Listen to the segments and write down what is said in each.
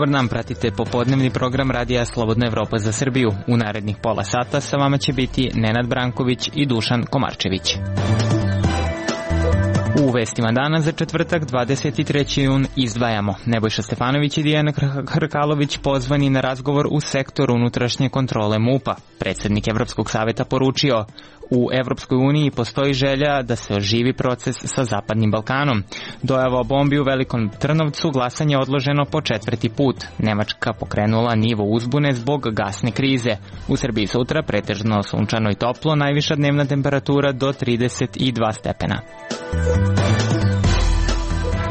Dobar dan, pratite popodnevni program Radija Slobodna Evropa za Srbiju. U narednih pola sata sa vama će biti Nenad Branković i Dušan Komarčević. U vestima dana za četvrtak 23. jun izdvajamo: Nebojša Stefanović i Dijana Hrkalović pozvani na razgovor u sektor unutrašnje kontrole MUP-a. Predsjednik Evropskog saveta poručio: u Evropskoj uniji postoji želja da se oživi proces sa Zapadnim Balkanom. Dojava o bombi u Velikom Trnovcu, glasanje odloženo po 4. put. Nemačka pokrenula nivo uzbune zbog gasne krize. U Srbiji sutra pretežno sunčano i toplo, najviša dnevna temperatura do 32 stepena.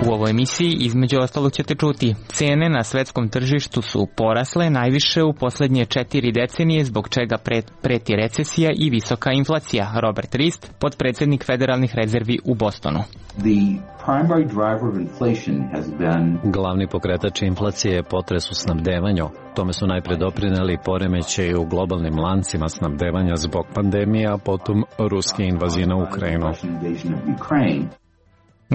U ovoj emisiji između ostalog ćete čuti: cene na svetskom tržištu su porasle najviše u posljednje 4 decenije, zbog čega preti recesija i visoka inflacija. Robert Rist, potpredsjednik Federalnih rezervi u Bostonu. Glavni pokretač inflacije je potres u snabdevanju. Tome su najpre doprineli poremećaji u globalnim lancima snabdevanja zbog pandemije, a potom ruske invazije na Ukrajinu.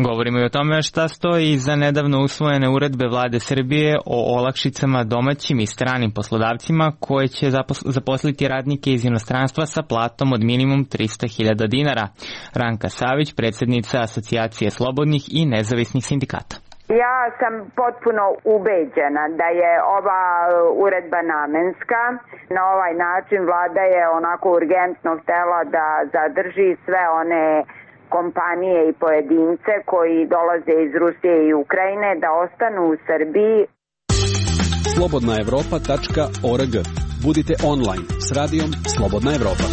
Govorimo i o tome šta stoji iza nedavno usvojene uredbe vlade Srbije o olakšicama domaćim i stranim poslodavcima koje će zaposliti radnike iz inostranstva sa platom od minimum 300.000 dinara. Ranka Savić, predsjednica Asocijacije slobodnih i nezavisnih sindikata. Ja sam potpuno ubeđena da je ova uredba namenska. Na ovaj način vlada je onako urgentno htela da zadrži sve one kompanije i pojedince koji dolaze iz Rusije i Ukrajine da ostanu u Srbiji. Slobodnaevropa.org. Budite online s radijom Slobodna Evropa.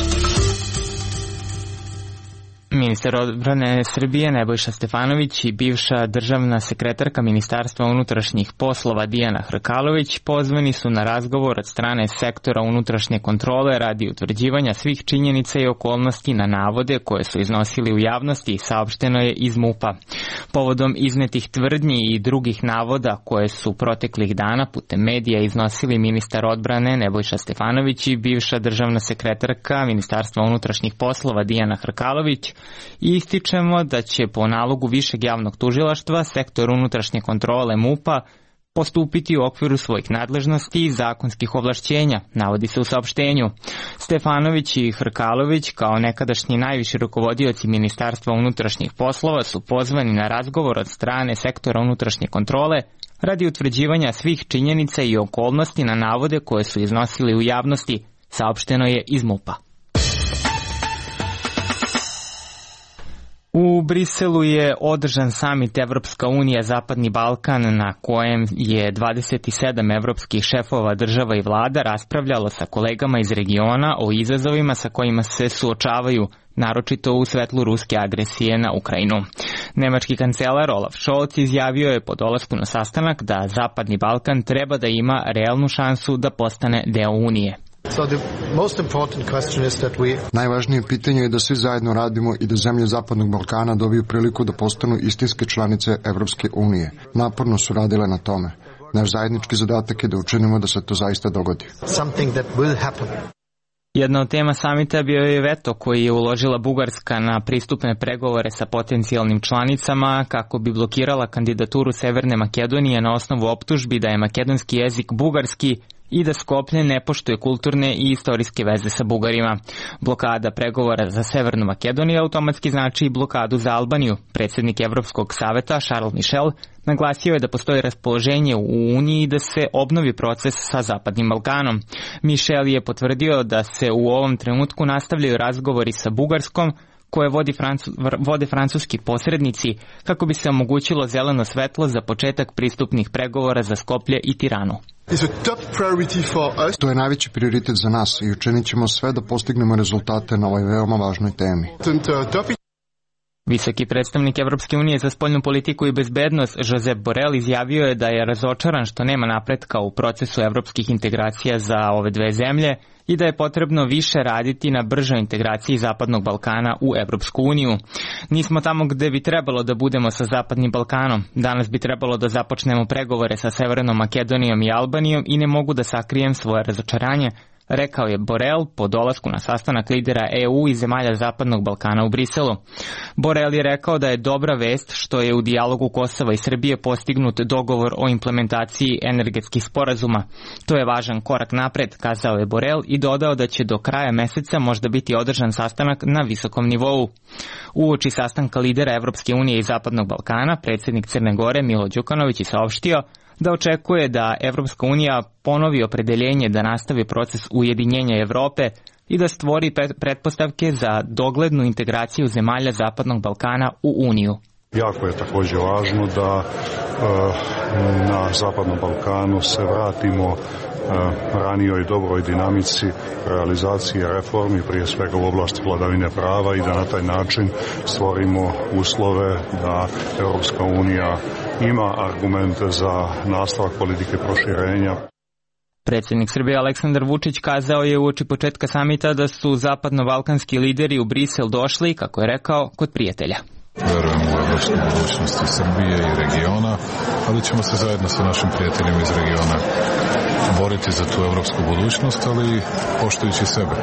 Ministar odbrane Srbije Nebojša Stefanović i bivša državna sekretarka Ministarstva unutrašnjih poslova Dijana Hrkalović pozvani su na razgovor od strane sektora unutrašnje kontrole radi utvrđivanja svih činjenica i okolnosti na navode koje su iznosili u javnosti, saopšteno je iz MUP-a. Povodom iznetih tvrdnji i drugih navoda koje su proteklih dana putem medija iznosili ministar odbrane Nebojša Stefanović i bivša državna sekretarka Ministarstva unutrašnjih poslova Dijana Hrkalović, i ističemo da će po nalogu Višeg javnog tužilaštva sektor unutrašnje kontrole MUP-a postupiti u okviru svojih nadležnosti i zakonskih ovlašćenja, navodi se u saopštenju. Stefanović i Hrkalović, kao nekadašnji najviši rukovodioci Ministarstva unutrašnjih poslova, su pozvani na razgovor od strane sektora unutrašnje kontrole radi utvrđivanja svih činjenica i okolnosti na navode koje su iznosili u javnosti, saopšteno je iz MUP-a. U Briselu je održan samit Evropska unija Zapadni Balkan, na kojem je 27 evropskih šefova država i vlada raspravljalo sa kolegama iz regiona o izazovima sa kojima se suočavaju, naročito u svetlu ruske agresije na Ukrajinu. Nemački kancelar Olaf Scholz izjavio je po dolasku na sastanak da Zapadni Balkan treba da ima realnu šansu da postane deo Unije. Najvažnije pitanje je da svi zajedno radimo i da zemlje Zapadnog Balkana dobiju priliku da postanu istinske članice Evropske unije. Naporno su radile na tome. Naš zajednički zadatak je da učinimo da se to zaista dogodi. Jedna od tema samita bio je veto koji je uložila Bugarska na pristupne pregovore sa potencijalnim članicama kako bi blokirala kandidaturu Severne Makedonije na osnovu optužbi da je makedonski jezik bugarski i da Skoplje ne poštuje kulturne i istorijske veze sa Bugarima. Blokada pregovora za Severnu Makedoniju automatski znači i blokadu za Albaniju. Predsjednik Evropskog saveta Charles Michel naglasio je da postoji raspoloženje u Uniji da se obnovi proces sa Zapadnim Balkanom. Michel je potvrdio da se u ovom trenutku nastavljaju razgovori sa Bugarskom, koje vode francuski posrednici, kako bi se omogućilo zeleno svetlo za početak pristupnih pregovora za Skoplje i Tiranu. To je najveći prioritet za nas i učinit ćemo sve da postignemo rezultate na ovoj veoma važnoj temi. Visoki predstavnik Evropske unije za spoljnu politiku i bezbednost Josep Borrell izjavio je da je razočaran što nema napretka u procesu evropskih integracija za ove dve zemlje i da je potrebno više raditi na bržoj integraciji Zapadnog Balkana u Evropsku uniju. Nismo tamo gde bi trebalo da budemo sa Zapadnim Balkanom. Danas bi trebalo da započnemo pregovore sa Severnom Makedonijom i Albanijom i ne mogu da sakrijem svoje razočaranje, rekao je Borrell po dolasku na sastanak lidera EU i zemalja Zapadnog Balkana u Briselu. Borrell je rekao da je dobra vest što je u dijalogu Kosova i Srbije postignut dogovor o implementaciji energetskih sporazuma. To je važan korak napred, kazao je Borrell i dodao da će do kraja meseca možda biti održan sastanak na visokom nivou. Uoči sastanka lidera Evropske unije i Zapadnog Balkana, predsjednik Crne Gore Milo Đukanović je saopštio da očekuje da Evropska unija ponovi opredeljenje da nastavi proces ujedinjenja Evrope i da stvori pretpostavke za doglednu integraciju zemalja Zapadnog Balkana u Uniju. Jako je također važno da na Zapadnom Balkanu se vratimo ranijoj dobroj dinamici realizacije reformi, prije svega u oblasti vladavine prava, i da na taj način stvorimo uslove da Europska unija ima argumente za nastavak politike proširenja. Predsjednik Srbije Aleksandar Vučić kazao je uoči početka samita da su zapadno-balkanski lideri u Brisel došli, kako je rekao, kod prijatelja. Verujem u evropsku budućnost Srbije i regiona, ali ćemo se zajedno sa našim prijateljima iz regiona boriti za tu evropsku budućnost, ali poštujući sebe.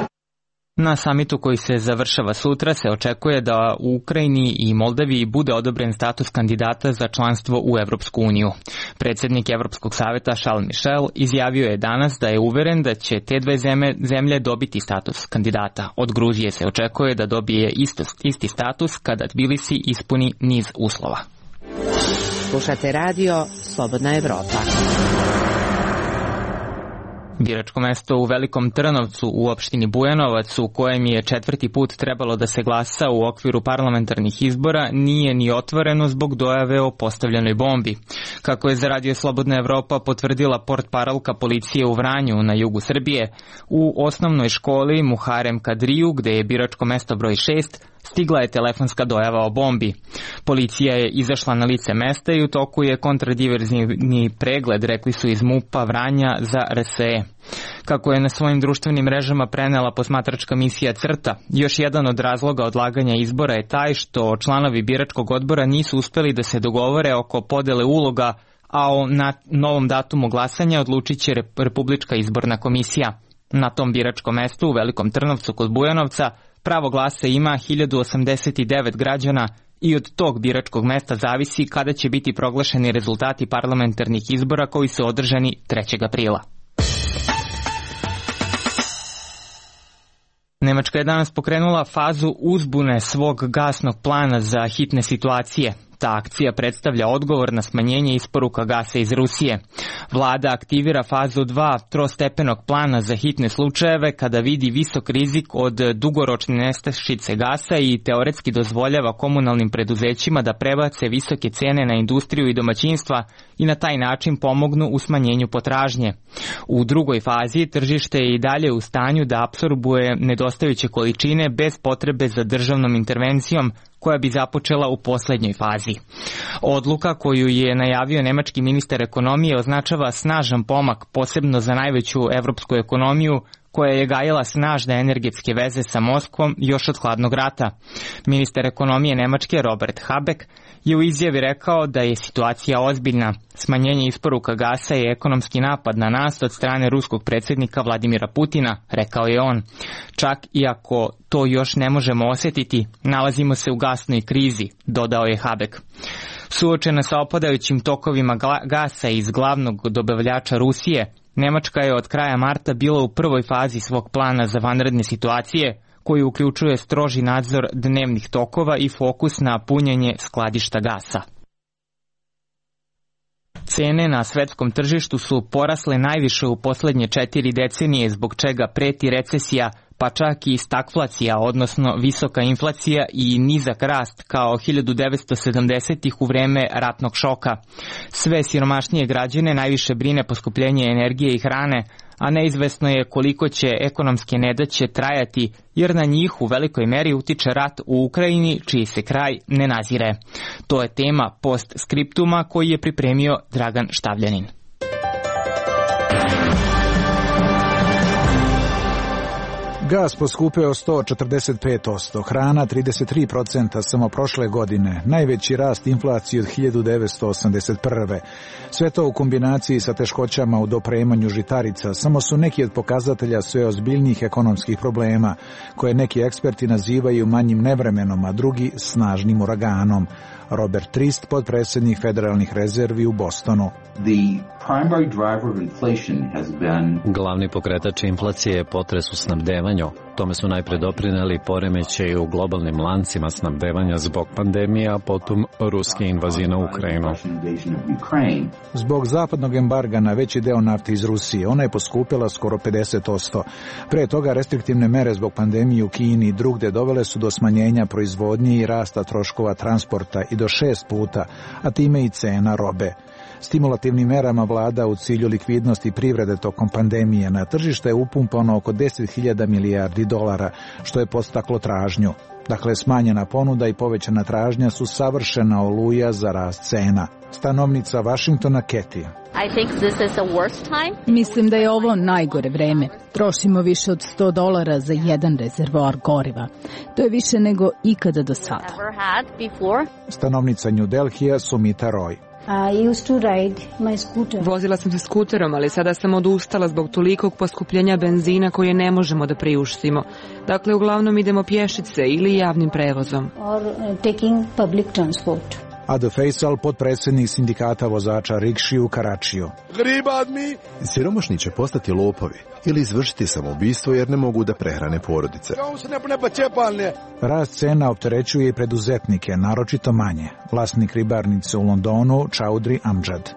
Na samitu koji se završava sutra se očekuje da u Ukrajini i Moldaviji bude odobren status kandidata za članstvo u Evropsku uniju. Predsjednik Evropskog saveta Charles Michel izjavio je danas da je uveren da će te dve zemlje dobiti status kandidata. Od Gruzije se očekuje da dobije isti status kada Tbilisi ispuni niz uslova. Slušate radio Slobodna Evropa. Biračko mesto u Velikom Trnovcu u opštini Bujanovac, u kojem je 4. put trebalo da se glasa u okviru parlamentarnih izbora, nije ni otvoreno zbog dojave o postavljenoj bombi. Kako je za Radio Slobodna Evropa potvrdila portparolka policije u Vranju na jugu Srbije, u osnovnoj školi Muharem Kadriju, gde je biračko mesto broj 6, stigla je telefonska dojava o bombi. Policija je izašla na lice mesta i u toku je kontradiverzni pregled, rekli su iz MUP-a Vranja za RSE. Kako je na svojim društvenim mrežama prenela posmatračka misija CRTA, još jedan od razloga odlaganja izbora je taj što članovi biračkog odbora nisu uspeli da se dogovore oko podele uloga, a o novom datumu glasanja odlučit će Republička izborna komisija. Na tom biračkom mestu u Velikom Trnovcu kod Bujanovca pravo glasa ima 1089 građana i od tog biračkog mesta zavisi kada će biti proglašeni rezultati parlamentarnih izbora koji su održani 3. aprila. Nemačka je danas pokrenula fazu uzbune svog gasnog plana za hitne situacije. Ta akcija predstavlja odgovor na smanjenje isporuka gasa iz Rusije. Vlada aktivira fazu 2 trostepenog plana za hitne slučajeve kada vidi visok rizik od dugoročne nestašice gasa i teoretski dozvoljava komunalnim preduzećima da prebace visoke cene na industriju i domaćinstva i na taj način pomognu u smanjenju potražnje. U drugoj fazi tržište je i dalje u stanju da apsorbuje nedostajuće količine bez potrebe za državnom intervencijom koja bi započela u posljednjoj fazi. Odluka koju je najavio nemački ministar ekonomije označava snažan pomak, posebno za najveću evropsku ekonomiju, koja je gajila snažne energetske veze sa Moskvom još od hladnog rata. Ministar ekonomije Nemačke Robert Habeck je u izjavi rekao da je situacija ozbiljna. Smanjenje isporuka gasa je ekonomski napad na nas od strane ruskog predsjednika Vladimira Putina, rekao je on. Čak i ako to još ne možemo osjetiti, nalazimo se u gasnoj krizi, dodao je Habeck. Suočena sa opadajućim tokovima gasa iz glavnog dobavljača Rusije, Nemačka je od kraja marta bila u prvoj fazi svog plana za vanredne situacije, koji uključuje stroži nadzor dnevnih tokova i fokus na punjenje skladišta gasa. Cene na svetskom tržištu su porasle najviše u posljednje 4 decenije, zbog čega preti recesija, pa čak i stagflacija, odnosno visoka inflacija i nizak rast kao 1970-ih u vreme ratnog šoka. Sve siromašnije građane najviše brine poskupljenje energije i hrane, a neizvesno je koliko će ekonomske nedaće trajati, jer na njih u velikoj meri utiče rat u Ukrajini, čiji se kraj ne nazire. To je tema postskriptuma koji je pripremio Dragan Štavljanin. Gas poskupeo 145%, hrana 33% samo prošle godine, najveći rast inflacije od 1981. Sve to u kombinaciji sa teškoćama u dopremanju žitarica samo su neki od pokazatelja sve ozbiljnijih ekonomskih problema, koje neki eksperti nazivaju manjim nevremenom, a drugi snažnim uraganom. Robert Trist, potpredsjednik Federalnih rezervi u Bostonu. Glavni pokretač inflacije je potres u snabdevanju. Tome su najpre doprineli poremećaji u globalnim lancima snabdevanja zbog pandemije, a potom ruske invazije na Ukrajinu. Zbog zapadnog embarga na veći deo nafte iz Rusije, ona je poskupila skoro 50%. Pre toga restriktivne mere zbog pandemije u Kini i drugde dovele su do smanjenja proizvodnje i rasta troškova transporta i do 6 puta, a time i cena robe. Stimulativnim merama vlada u cilju likvidnosti privrede tokom pandemije na tržište je upumpano oko 10.000 milijardi dolara, što je podstaklo tražnju. Dakle, smanjena ponuda i povećana tražnja su savršena oluja za rast cena. Stanovnica Vašingtona Kathy. Mislim da je ovo najgore vreme. Trošimo više od $100 za jedan rezervoar goriva. To je više nego ikada do sada. Stanovnica New Delhija Sumita Roy. Vozila sam se skuterom, ali sada sam odustala zbog tolikog poskupljenja benzina koje ne možemo da priuštimo. Dakle, uglavnom idemo pješice ili javnim prevozom. Ado Faisal, potpredsjednik sindikata vozača rikši u Karačiju. Siromašni će postati lopovi ili izvršiti samoubistvo jer ne mogu da prehrane porodice. Rast cena opterećuje i preduzetnike, naročito manje. Vlasnik ribarnice u Londonu, Chaudhry Amjad.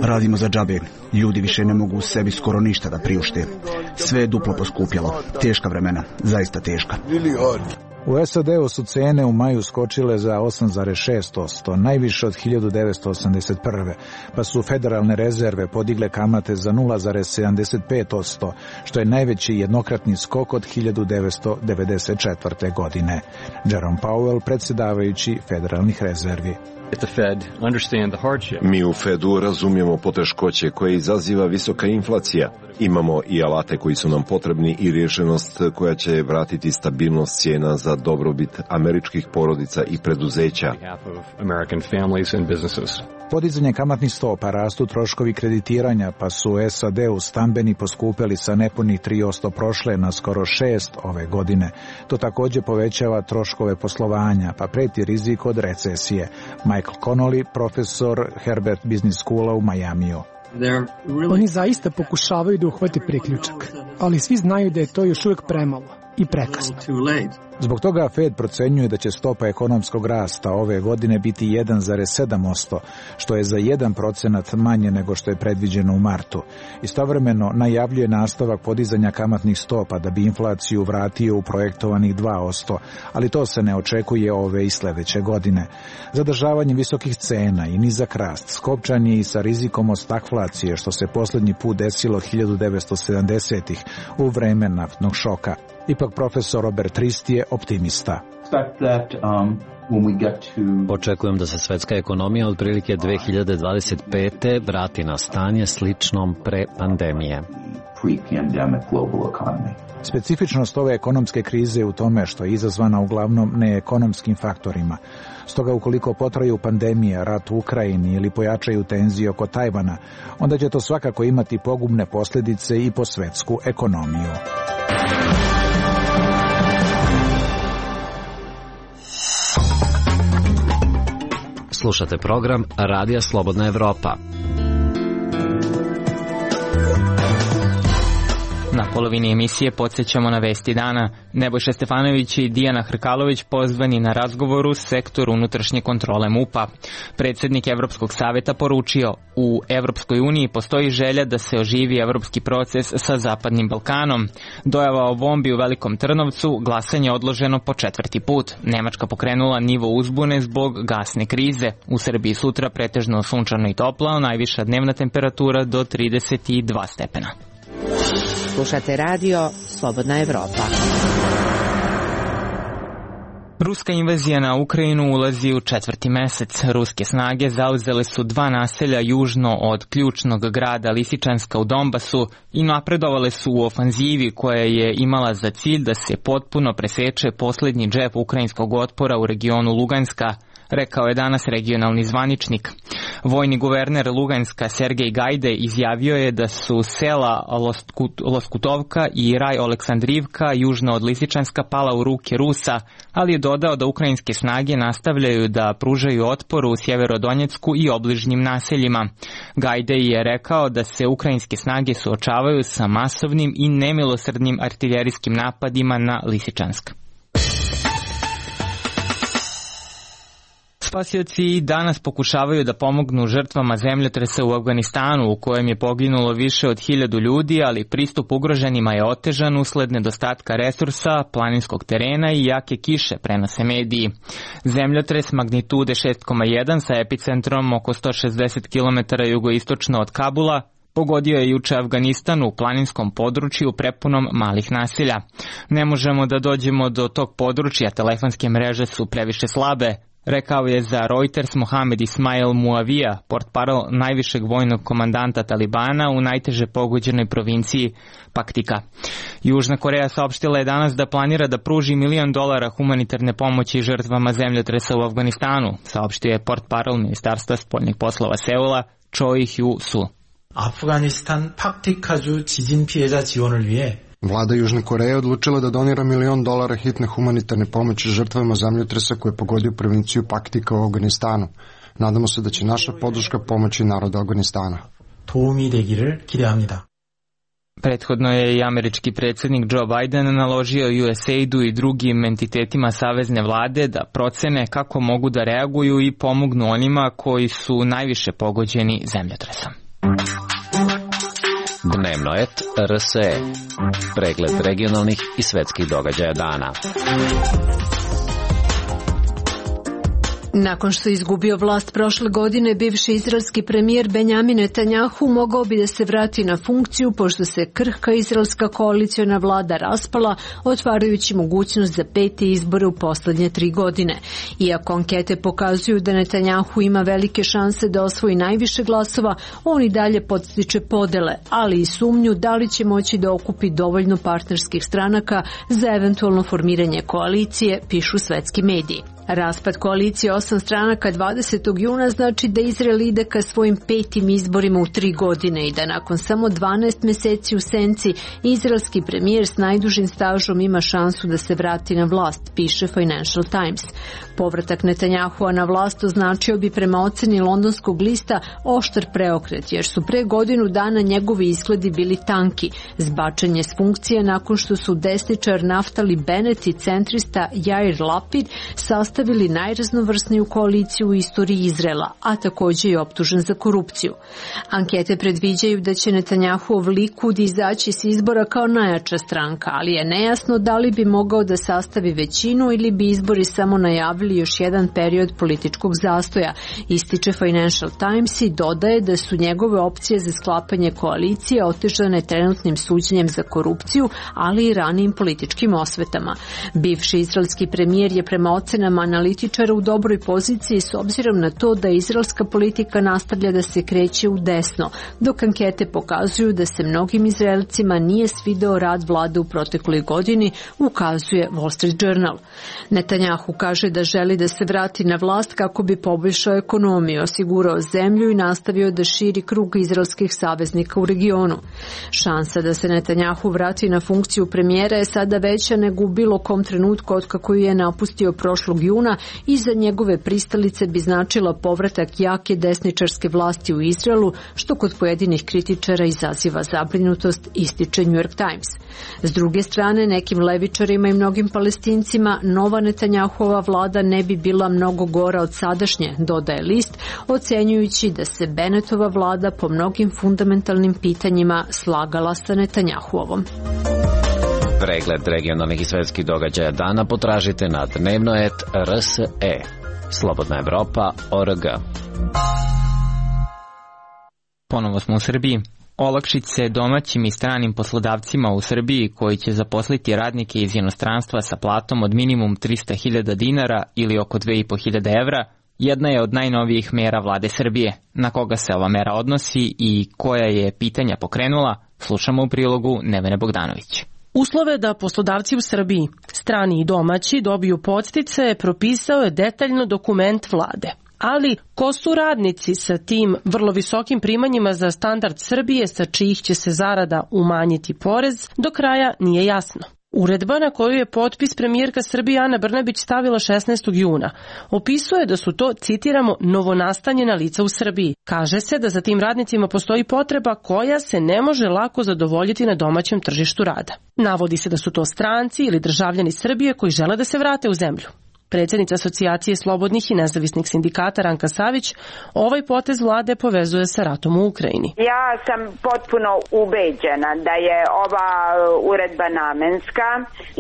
Radimo za džabe. Ljudi više ne mogu u sebi skoro ništa da priušte. Sve je duplo poskupjelo. Teška vremena, zaista teška. U SAD-u su cene u maju skočile za 8,6%, najviše od 1981. pa su federalne rezerve podigle kamate za 0,75%, što je najveći jednokratni skok od 1994. godine. Jerome Powell, predsjedavajući federalnih rezervi. Mi u Fedu razumijemo poteškoće koje izaziva visoka inflacija. Imamo i alate koji su nam potrebni i rješenost koja će vratiti stabilnost cijena za dobrobit američkih porodica i preduzeća. Podizanje kamatnih stopa, rastu troškovi kreditiranja, pa su u SAD-u stambeni poskupeli sa nepunih 3% prošle na skoro 6% ove godine. To također povećava troškove poslovanja, pa preti rizik od recesije. Michael Connolly, profesor Herbert Business Schoola u Majamiju. Oni zaista pokušavaju da uhvate priključak, ali svi znaju da je to još uvijek premalo i prekasno. Zbog toga Fed procenjuje da će stopa ekonomskog rasta ove godine biti 1,7%, što je za 1% manje nego što je predviđeno u martu. Istovremeno najavljuje nastavak podizanja kamatnih stopa da bi inflaciju vratio u projektovanih 2%, ali to se ne očekuje ove i sljedeće godine. Zadržavanje visokih cena i nizak rast skopčan je i sa rizikom od stagflacije, što se posljednji put desilo 1970-ih u vreme naftnog šoka. Ipak profesor Robert Trist je optimista. Očekujem da se svetska ekonomija otprilike 2025. vrati na stanje sličnom pre pandemije. Specifičnost ove ekonomske krize je u tome što je izazvana uglavnom neekonomskim faktorima. Stoga ukoliko potraju pandemija, rat u Ukrajini ili pojačaju tenzije oko Tajvana, onda će to svakako imati pogubne posljedice i po svetsku ekonomiju. Slušate program Radija Slobodna Evropa. Na polovini emisije podsjećamo na vesti dana. Nebojša Stefanović i Dijana Hrkalović pozvani na razgovor u sektoru unutrašnje kontrole MUP-a. Predsjednik Evropskog savjeta poručio, u Evropskoj uniji postoji želja da se oživi evropski proces sa Zapadnim Balkanom. Dojava o bombi u Velikom Trnovcu, glasanje odloženo po 4. put. Nemačka pokrenula nivo uzbune zbog gasne krize. U Srbiji sutra pretežno sunčano i toplo, najviša dnevna temperatura do 32 stepena. Slušate radio Slobodna Evropa. Ruska invazija na Ukrajinu ulazi u 4. mesec. Ruske snage zauzele su 2 naselja južno od ključnog grada Lisičanska u Donbasu i napredovale su u ofanzivi koja je imala za cilj da se potpuno preseče poslednji džep ukrajinskog otpora u regionu Luganska, rekao je danas regionalni zvaničnik. Vojni guverner Luganska Sergej Gajde izjavio je da su sela Loskutovka i Raj Oleksandrivka južno od Lisičanska pala u ruke Rusa, ali je dodao da ukrajinske snage nastavljaju da pružaju otpor u Sjeverodonjecku i obližnjim naseljima. Gajde je rekao da se ukrajinske snage suočavaju sa masovnim i nemilosrdnim artiljerijskim napadima na Lisičansk. Spasioci danas pokušavaju da pomognu žrtvama zemljotresa u Afganistanu, u kojem je poginulo više od 1000 ljudi, ali pristup ugroženima je otežan usled nedostatka resursa, planinskog terena i jake kiše, prenose mediji. Zemljotres magnitude 6,1 sa epicentrom oko 160 km jugoistočno od Kabula pogodio je juče Afganistan u planinskom području prepunom malih naselja. Ne možemo da dođemo do tog područja, telefonske mreže su previše slabe, rekao je za Reuters Mohamed Ismail Muavija, portparol najvišeg vojnog komandanta Talibana u najteže pogođenoj provinciji Paktika. Južna Koreja saopštila je danas da planira da pruži $1 milion humanitarne pomoći žrtvama zemljotresa u Afganistanu, saopštio je portparol Ministarstva spoljnih poslova Seula Choi Hyu-su. 아프가니스탄 팍티카주 지진 피해자 지원을 위해 Vlada Južne Koreje odlučila da donira $1 milion hitne humanitarne pomoći žrtvama zemljotresa koje je pogodio provinciju Paktika u Afganistanu. Nadamo se da će naša podrška pomoći narodu Afganistana. 도움이 되기를 기대합니다. Prethodno je i američki predsjednik Joe Biden naložio USAID-u i drugim entitetima savezne vlade da procene kako mogu da reaguju i pomognu onima koji su najviše pogođeni zemljotresom. Dnevnoet RSE. Pregled regionalnih i svetskih događaja dana. Nakon što je izgubio vlast prošle godine, bivši izraelski premijer Benjamin Netanjahu mogao bi da se vrati na funkciju pošto se krhka izraelska koaliciona vlada raspala, otvarajući mogućnost za 5. izbore u poslednje 3 godine. Iako ankete pokazuju da Netanjahu ima velike šanse da osvoji najviše glasova, on i dalje podstiče podele, ali i sumnju da li će moći da okupi dovoljno partnerskih stranaka za eventualno formiranje koalicije, pišu svetski mediji. Raspad koalicije 8 stranaka 20. juna znači da Izrael ide ka svojim 5. izborima u 3 godine i da nakon samo 12 meseci u senci izraelski premijer s najdužim stažom ima šansu da se vrati na vlast, piše Financial Times. Povratak Netanjahua na vlast označio bi prema oceni londonskog lista oštar preokret, jer su pre godinu dana njegovi izgledi bili tanki, zbačen je s funkcije nakon što su desničar Naftali Bennett i centrista Jair Lapid sastavili najraznovrsniju koaliciju u istoriji Izraela, a također je optužen za korupciju. Ankete predviđaju da će Netanjahuov Likud izaći s izbora kao najjača stranka, ali je nejasno da li bi mogao da sastavi većinu ili bi izbori samo najavili još jedan period političkog zastoja, ističe Financial Times i dodaje da su njegove opcije za sklapanje koalicije otežane trenutnim suđenjem za korupciju, ali i ranijim političkim osvetama. Bivši izraelski premijer je prema ocenama analitičara u dobroj poziciji s obzirom na to da izraelska politika nastavlja da se kreće u desno, dok ankete pokazuju da se mnogim Izraelcima nije svideo rad vlade u protekloj godini, ukazuje Wall Street Journal. Netanjahu kaže da želi da se vrati na vlast kako bi poboljšao ekonomiju, osigurao zemlju i nastavio da širi krug izraelskih saveznika u regionu. Šansa da se Netanjahu vrati na funkciju premijera je sada veća nego u bilo kom trenutku od kako je napustio prošlog juna i za njegove pristalice bi značila povratak jake desničarske vlasti u Izraelu, što kod pojedinih kritičara izaziva zabrinutost, ističe New York Times. S druge strane, nekim levičarima i mnogim Palestincima nova Netanjahuova vlada ne bi bila mnogo gora od sadašnje, dodaje list, ocenjujući da se Bennettova vlada po mnogim fundamentalnim pitanjima slagala sa Netanjahuovom. Pregled regionalnih i svetskih događaja dana potražite na Dnevnoet RSE. Slobodna Evropa.org. Ponovo smo u Srbiji. Olakšice domaćim i stranim poslodavcima u Srbiji koji će zaposliti radnike iz inostranstva sa platom od minimum 300.000 dinara ili oko 2.500 evra jedna je od najnovijih mera vlade Srbije. Na koga se ova mera odnosi i koja je pitanja pokrenula, slušamo u prilogu Nevene Bogdanović. Uslove da poslodavci u Srbiji, strani i domaći, dobiju podsticaje propisao je detaljno dokument vlade. Ali ko su radnici sa tim vrlo visokim primanjima za standard Srbije sa čijih će se zarada umanjiti porez, do kraja nije jasno. Uredba na koju je potpis premijerka Srbije Ana Brnabić stavila 16. juna opisuje da su to, citiramo, novonastanjena lica u Srbiji. Kaže se da za tim radnicima postoji potreba koja se ne može lako zadovoljiti na domaćem tržištu rada. Navodi se da su to stranci ili državljani Srbije koji žele da se vrate u zemlju. Predsjednica Asocijacije slobodnih i nezavisnih sindikata Ranka Savić ovaj potez vlade povezuje sa ratom u Ukrajini. Ja sam potpuno ubeđena da je ova uredba namenska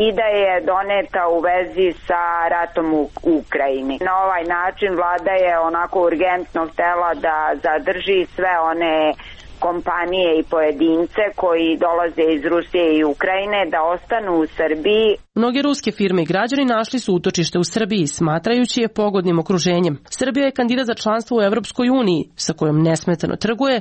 i da je doneta u vezi sa ratom u Ukrajini. Na ovaj način vlada je onako urgentno htela da zadrži sve one kompanije i pojedince koji dolaze iz Rusije i Ukrajine da ostanu u Srbiji. Mnoge ruske firme i građani našli su utočište u Srbiji, smatrajući je pogodnim okruženjem. Srbija je kandidat za članstvo u Evropskoj uniji, sa kojom nesmetano trguje,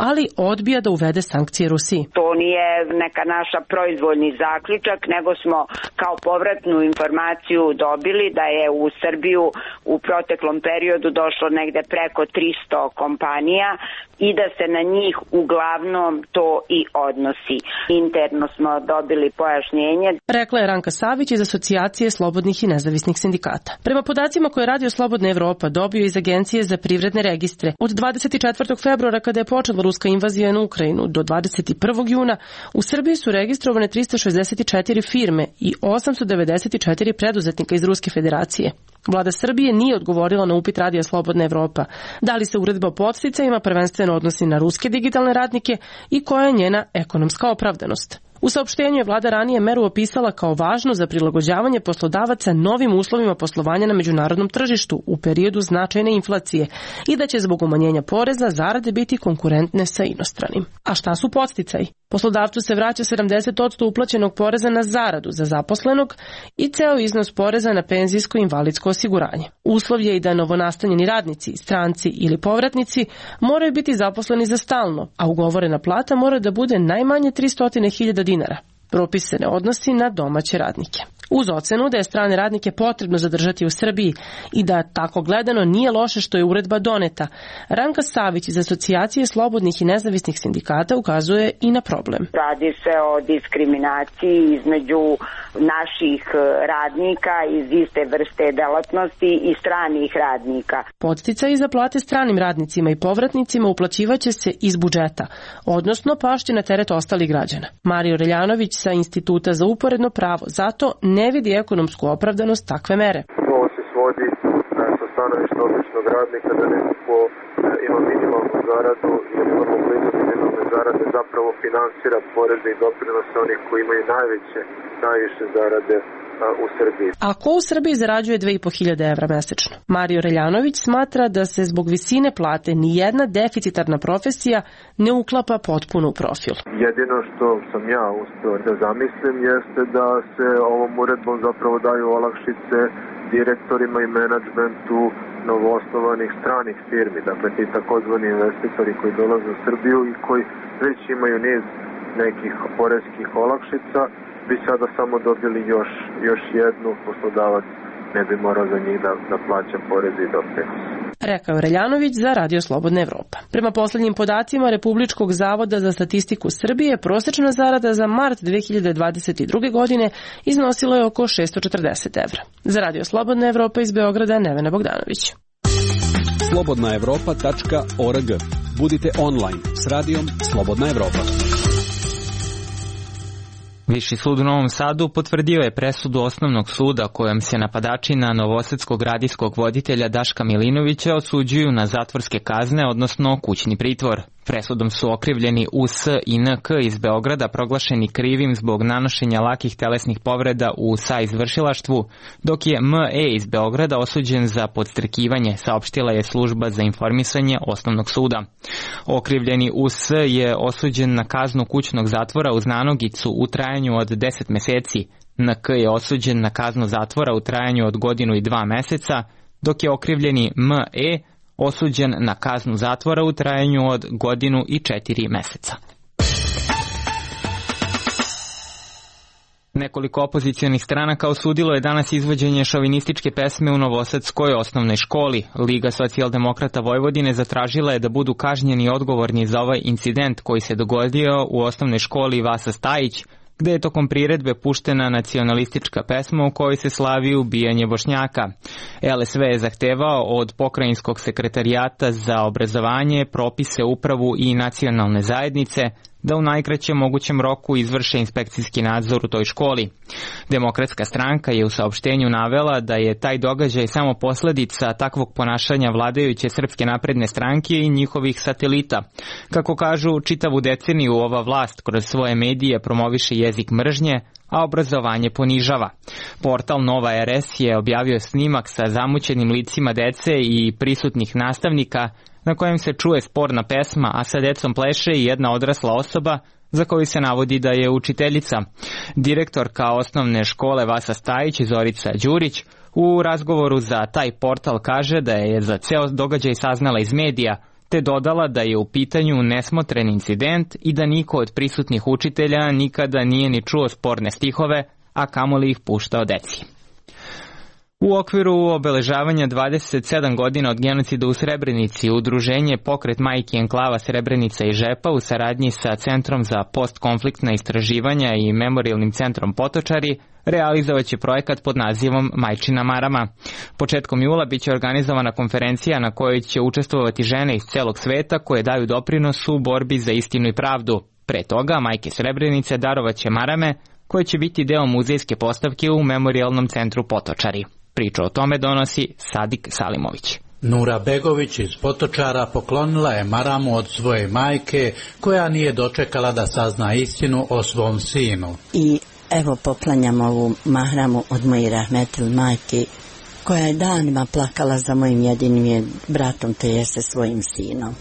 ali odbija da uvede sankcije Rusiji. To nije neka naša proizvoljni zaključak, nego smo kao povratnu informaciju dobili da je u Srbiju u proteklom periodu došlo negde preko 300 kompanija i da se na njih uglavnom to i odnosi. Interno smo dobili pojašnjenje. Rekla je Ranka Savić iz Asocijacije slobodnih i nezavisnih sindikata. Prema podacima koje je Radio Slobodna Evropa dobio iz Agencije za privredne registre, od 24. februara kada je počela ruska invazija na Ukrajinu do 21. juna, u Srbiji su registrovane 364 firme i 894 preduzetnika iz Ruske federacije. Vlada Srbije nije odgovorila na upit Radija Slobodna Evropa da li se uredba o podsticajima prvenstveno odnosi na ruske digitalne radnike i koja je njena ekonomska opravdanost. U saopštenju je vlada ranije meru opisala kao važnu za prilagođavanje poslodavaca novim uslovima poslovanja na međunarodnom tržištu u periodu značajne inflacije i da će zbog umanjenja poreza zarade biti konkurentne sa inostranim. A šta su podsticaji? Poslodavcu se vraća 70% uplaćenog poreza na zaradu za zaposlenog i ceo iznos poreza na penzijsko i invalidsko osiguranje. Uslov je i da novonastanjeni radnici, stranci ili povratnici moraju biti zaposleni za stalno, a ugovorena plata mora da bude najmanje 300.000 dinara. Propis se ne odnosi na domaće radnike. Uz ocenu da je strane radnike potrebno zadržati u Srbiji i da tako gledano nije loše što je uredba doneta, Ranka Savić iz Asocijacije slobodnih i nezavisnih sindikata ukazuje i na problem. Radi se o diskriminaciji između naših radnika iz iste vrste delatnosti i stranih radnika. Podsticaji za plate stranim radnicima i povratnicima uplaćivaće se iz budžeta, odnosno pašće na teret ostalih građana. Mario Reljanović sa Instituta za uporedno pravo zato ne vidi ekonomsku opravdanost takve mere. Ovo se svodi sa stanovišta običnog radnika da neko ko ima minimalnu zaradu ili vrlo blizu minimalne zarade zapravo finansira poreze i doprinose onih koji imaju najviše zarade u Srbiji. A ko u Srbiji zarađuje 2.500 evra mesečno? Mario Reljanović smatra da se zbog visine plate nijedna deficitarna profesija ne uklapa potpuno u profil. Jedino što sam ja uspeo da zamislim jeste da se ovom uredbom zapravo daju olakšice direktorima i menadžmentu novoosnovanih stranih firmi, dakle ti takozvani investitori koji dolaze u Srbiju i koji već imaju niz nekih poreskih olakšica, bi sada samo dobili još jednu, poslodavac ne bi morao za njih da plaća poreze i doprinose. Rekao Reljanović za Radio Slobodna Evropa. Prema poslednjim podacima Republičkog zavoda za statistiku Srbije, prosečna zarada za mart 2022. godine iznosila je oko 640 evra. Za Radio Slobodna Evropa iz Beograda, Nevena Bogdanović. slobodnaevropa.org. Budite online s Radijom Slobodna Evropa. Viši sud u Novom Sadu potvrdio je presudu osnovnog suda kojom se napadači na novosadskog radijskog voditelja Daška Milinovića osuđuju na zatvorske kazne, odnosno kućni pritvor. Presudom su okrivljeni US i NK iz Beograda proglašeni krivim zbog nanošenja lakih telesnih povreda u saizvršilaštvu, dok je ME iz Beograda osuđen za podstrekivanje, saopštila je služba za informisanje Osnovnog suda. Okrivljeni US je osuđen na kaznu kućnog zatvora uz nanogicu u trajanju od 10 meseci, NK je osuđen na kaznu zatvora u trajanju od 1 godinu i 2 meseca, dok je okrivljeni ME osuđen na kaznu zatvora u trajanju od 1 godinu i 4 meseca. Nekoliko opozicionih stranaka osudilo je danas izvođenje šovinističke pesme u Novosadskoj osnovnoj školi. Liga socijaldemokrata Vojvodine zatražila je da budu kažnjeni odgovorni za ovaj incident koji se dogodio u osnovnoj školi Vasa Stajić, gde je tokom priredbe puštena nacionalistička pesma u kojoj se slavi ubijanje Bošnjaka. LSV je zahtevao od Pokrajinskog sekretarijata za obrazovanje, propise, upravu i nacionalne zajednice da u najkraćem mogućem roku izvrše inspekcijski nadzor u toj školi. Demokratska stranka je u saopštenju navela da je taj događaj samo posledica takvog ponašanja vladajuće Srpske napredne stranke i njihovih satelita. Kako kažu, čitavu deceniju ova vlast kroz svoje medije promoviše jezik mržnje, a obrazovanje ponižava. Portal Nova RS je objavio snimak sa zamućenim licima dece i prisutnih nastavnika na kojem se čuje sporna pesma, a sa decom pleše i jedna odrasla osoba za koju se navodi da je učiteljica. Direktorka osnovne škole Vasa Stajić, Zorica Đurić, u razgovoru za taj portal kaže da je za ceo događaj saznala iz medija, te dodala da je u pitanju nesmotren incident i da niko od prisutnih učitelja nikada nije ni čuo sporne stihove, a kamoli ih puštao deci. U okviru obeležavanja 27 godina od genocida u Srebrenici, udruženje Pokret majki enklava Srebrenica i Žepa u saradnji sa Centrom za postkonfliktna istraživanja i Memorijalnim centrom Potočari realizovaće projekat pod nazivom Majčina marama. Početkom jula biće organizovana konferencija na kojoj će učestvovati žene iz celog sveta koje daju doprinos u borbi za istinu i pravdu. Pre toga, majke Srebrenice darovaće marame koje će biti deo muzejske postavke u Memorijalnom centru Potočari. Priču o tome donosi Sadik Salimović. Nura Begović iz Potočara poklonila je maramu od svoje majke koja nije dočekala da sazna istinu o svom sinu. I evo poklanjam ovu mahramu od moje rahmetil majke koja je danima plakala za mojim jedinim bratom te je se svojim sinom.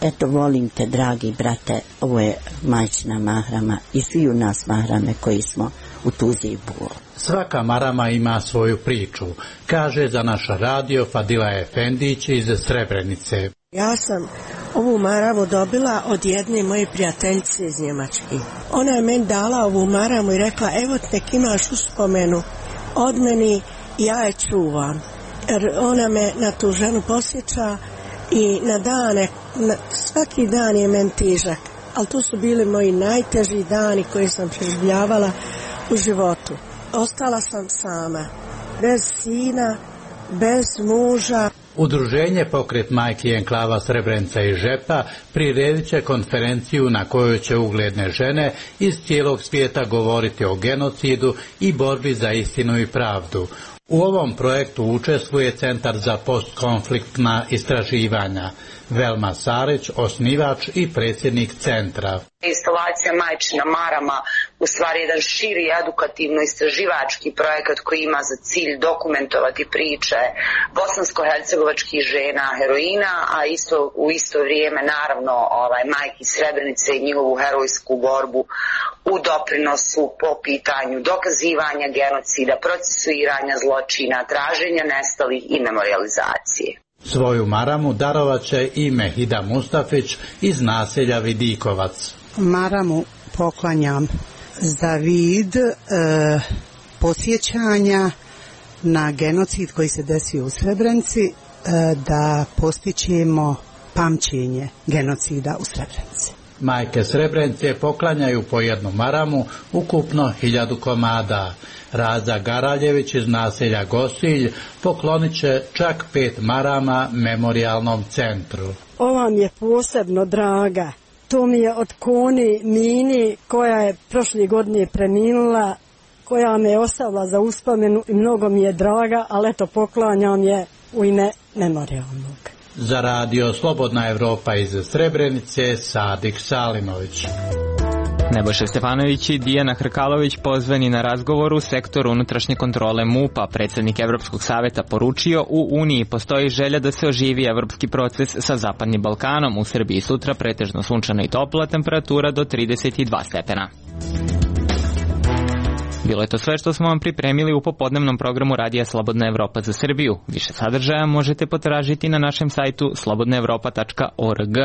Eto, volim te, dragi brate, ovo je majčina mahrama i svi u nas mahrame koji smo u tuzi i bolu. Svaka marama ima svoju priču, kaže za naš radio Fadila Efendić iz Srebrenice. Ja sam ovu maramu dobila od jedne moje prijateljice iz Njemačke. Ona je meni dala ovu maramu i rekla, evo nek imaš uspomenu od meni i ja je čuvam. Jer ona me na tu ženu posjeća i na dane, svaki dan je meni težak, ali to su bili moji najteži dani koje sam preživljavala u životu. Ostala sam sama, bez sina, bez muža. Udruženje Pokret majki enklava Srebrenica i Žepa priredit će konferenciju na kojoj će ugledne žene iz cijelog svijeta govoriti o genocidu i borbi za istinu i pravdu. U ovom projektu učestvuje Centar za postkonfliktna istraživanja. Velma Sarić, osnivač i predsjednik centra. Instalacija Majčina marama u stvari jedan širi edukativno-istraživački projekat koji ima za cilj dokumentovati priče bosansko-hercegovačkih žena heroina, a u isto vrijeme naravno majki Srebrenice i njihovu herojsku borbu u doprinosu po pitanju dokazivanja genocida, procesuiranja zločina, traženja nestalih i memorializacije. Svoju maramu darovat će i Mehida Mustafić iz naselja Vidikovac. Maramu poklanjam za vid posjećanja na genocid koji se desio u Srebrenici, da postićemo pamćenje genocida u Srebrenici. Majke Srebrenice poklanjaju po jednu maramu, ukupno 1000 komada. Raza Garaljević iz naselja Gosilj poklonit će čak 5 marama Memorijalnom centru. Ova mi je posebno draga. To mi je od Koni Mini koja je prošle godine preminula, koja me je ostavila za uspomenu i mnogo mi je draga, ali eto poklanjam je u ime Memorijalnog. Za radio Slobodna Evropa iz Srebrenice, Sadik Salimović. Nebojša Stefanović i Dijana Hrkalović pozvani na razgovor u sektoru unutrašnje kontrole MUP-a. Predsjednik Evropskog saveta poručio, u Uniji postoji želja da se oživi evropski proces sa Zapadnim Balkanom. U Srbiji sutra pretežno sunčana i topla, temperatura do 32 stepena. Bilo je to sve što smo vam pripremili u popodnevnom programu Radija Slobodna Evropa za Srbiju. Više sadržaja možete potražiti na našem sajtu slobodnaevropa.org.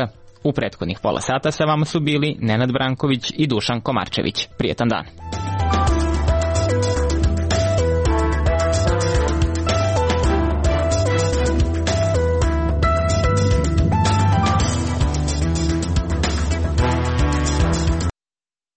U prethodnih pola sata sa vama su bili Nenad Branković i Dušan Komarčević. Prijetan dan.